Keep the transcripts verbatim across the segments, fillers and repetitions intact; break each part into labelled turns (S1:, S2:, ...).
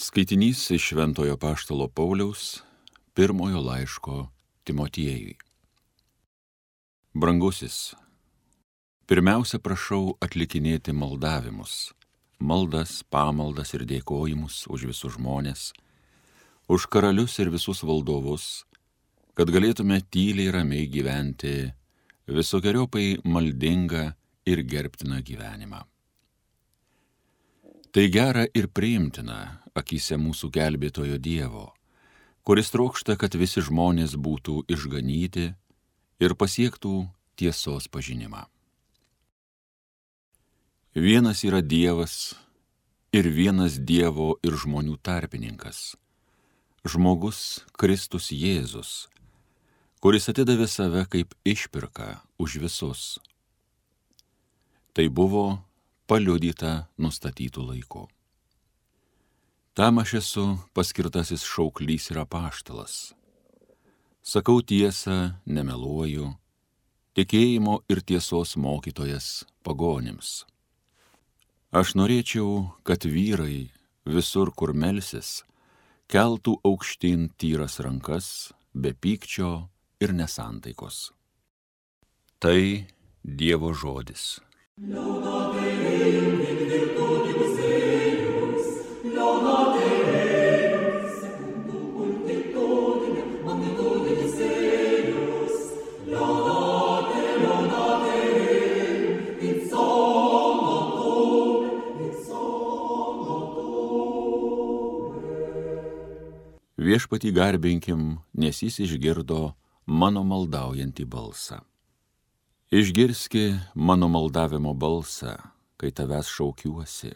S1: Skaitinys iš Šventojo apaštalo Pauliaus pirmojo laiško Timotiejui. Brangusis, pirmiausia prašau atlikinėti maldavimus, maldas, pamaldas ir dėkojimus už visus žmones, už karalius ir visus valdovus, kad galėtume tyliai ramiai gyventi visokiojopai maldingą ir gerbtiną gyvenimą. Tai gera ir priimtina akyse mūsų gelbėtojo Dievo, kuris trokšta, kad visi žmonės būtų išganyti ir pasiektų tiesos pažinimą. Vienas yra Dievas ir vienas Dievo ir žmonių tarpininkas, žmogus Kristus Jėzus, kuris atidavė save kaip išpirką už visus. Tai buvo paliudyta nustatytų laikų. Tam aš esu paskirtasis šauklys ir apaštalas. Sakau tiesą, nemeluoju, tikėjimo ir tiesos mokytojas pagonims. Aš norėčiau, kad vyrai visur, kur melsis, keltų aukštyn tyras rankas, be pykčio ir nesantaikos. Tai Dievo žodis. Viešpatį garbinkim, nes jis išgirdo mano maldaujantį balsą. Išgirski mano maldavimo balsą, kai tavęs šaukiuosi,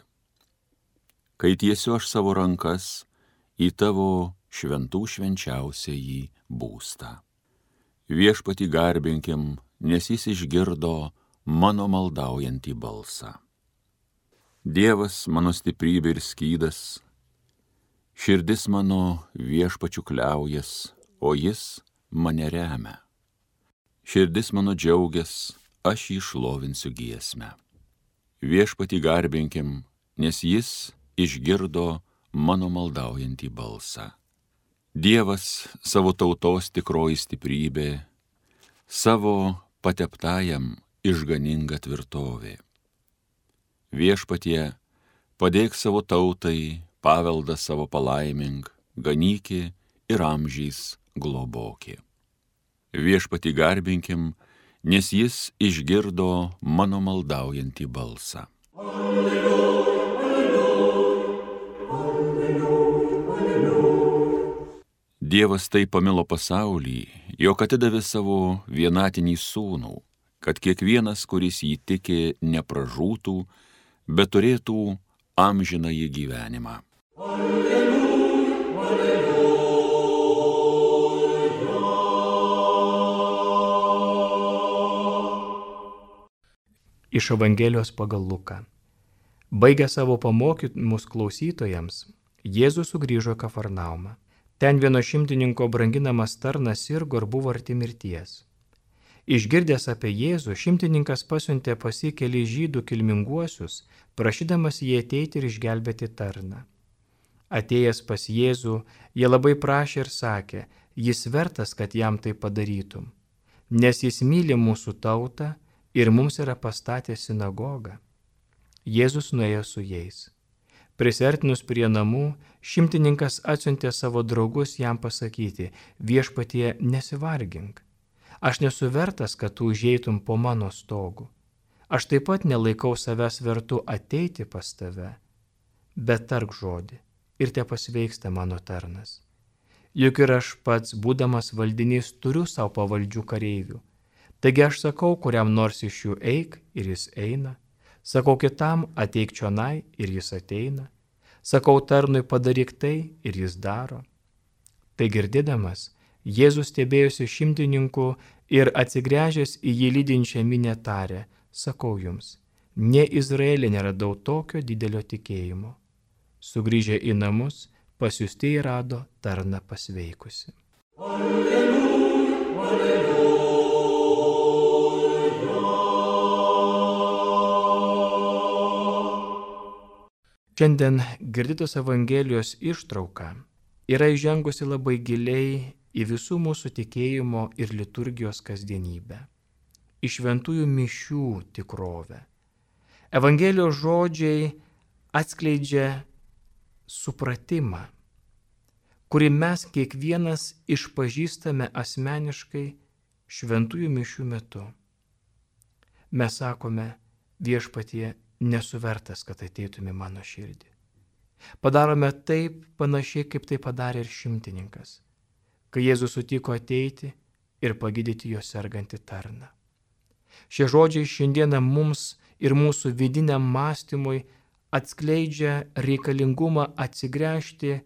S1: kai tiesiu aš savo rankas į tavo šventų švenčiausiąjį būstą. Viešpatį garbinkim, nes jis išgirdo mano maldaujantį balsą. Dievas mano stiprybė ir skydas, širdis mano viešpačiu kliaujas, o jis mane remia. Širdis mano džiaugias, aš jį šlovinsiu giesmę. Viešpatį garbinkim, nes jis išgirdo mano maldaujantį balsą. Dievas savo tautos tikroji stiprybė, savo pateptajam išganinga tvirtovė. Viešpatie, padėk savo tautai, paveldą savo palaimink, ganyki ir amžiais globoki. Viešpatį garbinkim, nes jis išgirdo mano maldaujantį balsą. Alleluja, alleluja, alleluja, alleluja. Dievas taip pamilo pasaulį, jog atidavė savo vienatinį sūnų, kad kiekvienas, kuris jį tiki, nepražūtų, bet turėtų amžinąjį gyvenimą. Alleluja, alleluja.
S2: Iš Evangelijos pagal Luką. Baigę savo pamokymus klausytojams, Jėzus sugrįžo į Kafarnaumą. Ten vieno šimtininko branginamas tarnas sirgo ir buvo arti mirties. Išgirdęs apie Jėzų, šimtininkas pasiuntė pas jį kelis žydų kilminguosius, prašydamas jį ateiti ir išgelbėti tarną. Atėjęs pas Jėzų, jie labai prašė ir sakė, jis vertas, kad jam tai padarytum, nes jis myli mūsų tautą ir mums yra pastatęs sinagogą. Jėzus nuėjo su jais. Prisiartinus prie namų, šimtininkas atsiuntė savo draugus jam pasakyti, viešpatie nesivargink. Aš nesu vertas, kad tu užeitum po mano stogu. Aš taip pat nelaikau savęs vertu ateiti pas tave, bet tark žodį ir te pasveiksta mano tarnas. Juk ir aš pats, būdamas valdinys, turiu savo pavaldžių kareivių. Taigi aš sakau, kuriam nors iš jų eik ir jis eina, sakau kitam ateik čionai ir jis ateina, sakau tarnui padaryk tai ir jis daro. Tai girdėdamas, Jėzus stebėjosi šimtininku ir atsigręžęs į jį lydinčią minią tarė, sakau jums, ne Izraelyje neradau tokio didelio tikėjimo. Sugrįžę į namus, pasiųstieji rado tarną pasveikusi. Alleluja, alleluja. Šiandien girdytos Evangelijos ištrauka yra įžengusi labai giliai į visų mūsų tikėjimo ir liturgijos kasdienybę, į šventųjų mišių tikrovę. Evangelijos žodžiai atskleidžia supratimą, kurį mes kiekvienas išpažįstame asmeniškai šventųjų mišių metu. Mes sakome, viešpatie, nesu vertas, kad ateitum į mano širdį. Padarome taip panašiai, kaip tai padarė ir šimtininkas, kai Jėzus sutiko ateiti ir pagydyti jo sergantį tarną. Šie žodžiai šiandieną mums ir mūsų vidiniam mąstymui atskleidžia reikalingumą atsigręžti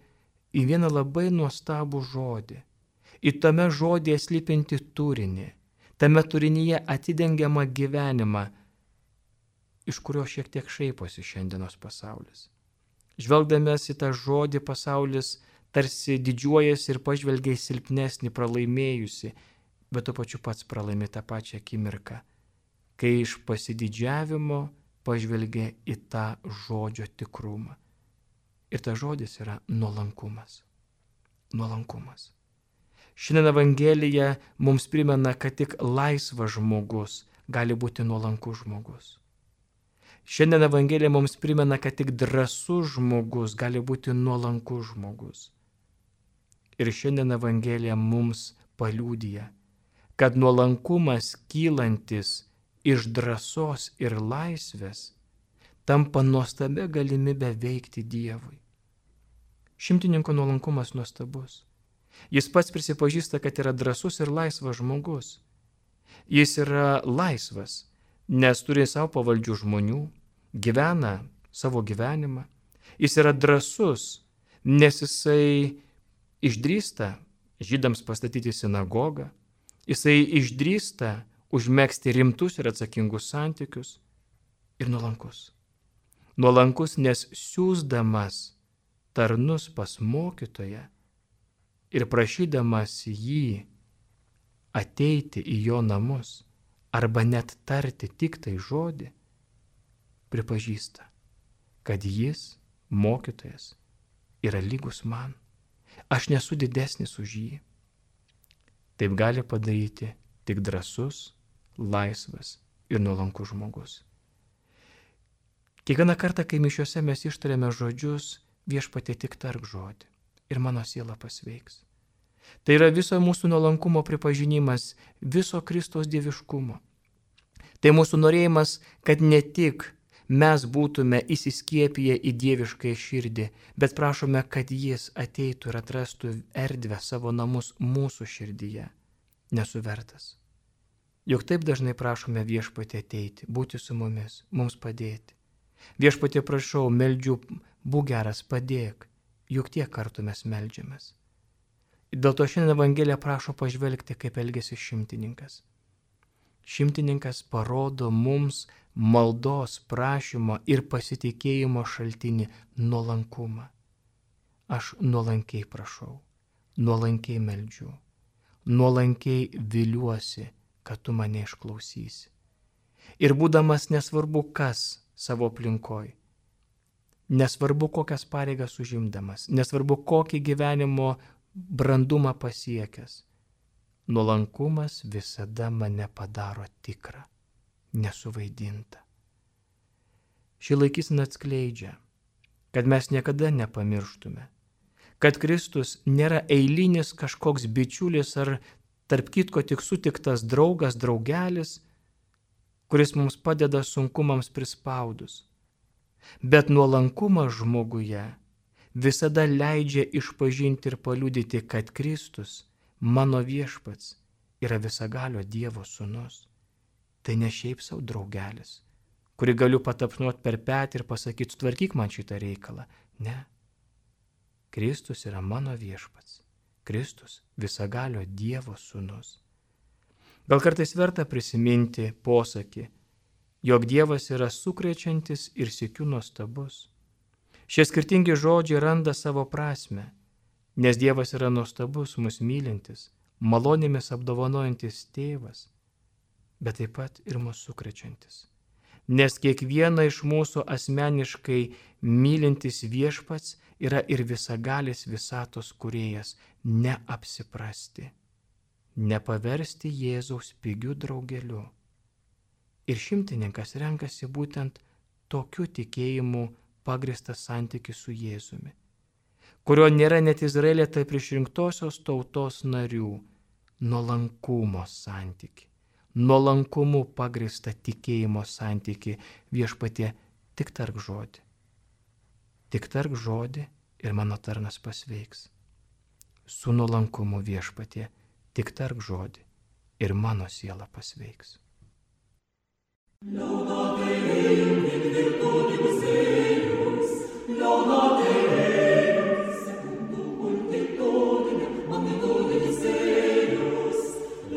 S2: į vieną labai nuostabų žodį, į tame žodėje slypinti turinį, tame turinyje atidengiamą gyvenimą, iš kurio šiek tiek šaiposi šiandienos pasaulis. Žvelgdamas į tą žodį pasaulis tarsi didžiuojasi ir pažvelgia į silpnesnį, pralaimėjusi, bet tuo pačiu pats pralaimi tą pačią akimirką, kai iš pasididžiavimo pažvelgia į tą žodžio tikrumą. Ir tas žodis yra nuolankumas. Nuolankumas. Šiandien Evangelija mums primena, kad tik laisvas žmogus gali būti nuolankus žmogus. Šiandien Evangelija mums primena, kad tik drąsus žmogus gali būti nuolankus žmogus. Ir šiandien Evangelija mums paliudija, kad nuolankumas kylantis iš drąsos ir laisvės tampa nuostabia galimybė veikti Dievui. Šimtininko nuolankumas nuostabus. Jis pats prisipažįsta, kad yra drąsus ir laisvas žmogus. Jis yra laisvas, nes turi savo pavaldžių žmonių, gyvena savo gyvenimą. Jis yra drąsus, nes jisai išdrįsta žydams pastatyti sinagogą, jisai išdrįsta užmegzti rimtus ir atsakingus santykius ir nuolankus. Nuolankus, nes siųsdamas tarnus pas mokytoją ir prašydamas jį ateiti į jo namus arba net tarti tik tai žodį, pripažįsta, kad jis, mokytojas, yra lygus man. Aš nesu didesnis už jį. Taip gali padaryti tik drąsus, laisvas ir nuolankus žmogus. Kiekvieną kartą, kai mišiuose mes ištariame žodžius, viešpatie tik tark žodį ir mano siela pasveiks. Tai yra viso mūsų nuolankumo pripažinimas, viso Kristaus dieviškumo. Tai mūsų norėjimas, kad ne tik mes būtume įsiskiepiję į dieviškąją širdį, bet prašome, kad jis ateitų ir atrastų erdvę savo namus mūsų širdyje. Nesu vertas. Juk taip dažnai prašome viešpatie ateiti, būti su mumis, mums padėti. Viešpatie prašau, meldžiu, būk geras, padėk, juk tiek kartų mes meldžiamės. Ir dėl to šiandien Evangelija prašo pažvelgti, kaip elgėsi šimtininkas. Šimtininkas parodo mums maldos, prašymo ir pasitikėjimo šaltinį nuolankumą. Aš nuolankiai prašau, nuolankiai meldžiu, nuolankiai viliuosi, kad tu mane išklausysi. Ir būdamas nesvarbu kas savo aplinkoj, nesvarbu kokias pareigas užimdamas, nesvarbu kokį gyvenimo brandumą pasiekęs, nuolankumas visada mane padaro tikrą, nesuvaidintą. Ši laikysena atskleidžia, kad mes niekada nepamirštume, kad Kristus nėra eilinis kažkoks bičiulis ar tarp kitko tik sutiktas draugas, draugelis, kuris mums padeda sunkumams prispaudus. Bet nuolankumas žmoguje visada leidžia išpažinti ir paliudyti, kad Kristus, mano viešpats, yra visagalio Dievo sūnus. Tai ne šiaip savo draugelis, kurį galiu patapšnuoti per petį ir pasakyti, tvarkyk man šitą reikalą. Ne. Kristus yra mano viešpats. Kristus visagalio Dievo sūnus. Gal kartais verta prisiminti posakį, jog Dievas yra sukrečiantis ir sykiu nuostabus. Šie skirtingi žodžiai randa savo prasme, nes Dievas yra nuostabus, mus mylintis, malonėmis apdovanojantis tėvas, bet taip pat ir mus sukrečiantis. nes kiekvieną iš mūsų asmeniškai mylintis viešpats yra ir visagalis visatos kūrėjas. Neapsiprasti, nepaversti Jėzaus pigiu draugeliu. Ir šimtininkas renkasi būtent tokiu tikėjimu pagrįstą santykį su Jėzumi, kurio nėra net Izraelė tarp išrinktosios tautos narių, nuolankumo santykį, nuolankumu pagrįstą tikėjimo santykį. Viešpatie, tik tark žodį, tik tark žodį ir mano tarnas pasveiks. Su nuolankumu, Viešpatie, tik tark žodį ir mano siela pasveiks. Laudate Deum in virtutis eius, laudate Deum secundum multitudinem magnitudinis eius,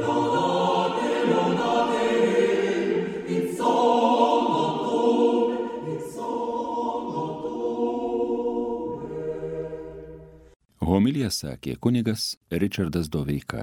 S2: laudate, laudate Deum in somno tuum, in somno tuum.
S1: Homiliją sakė kunigas Ričardas Doveika.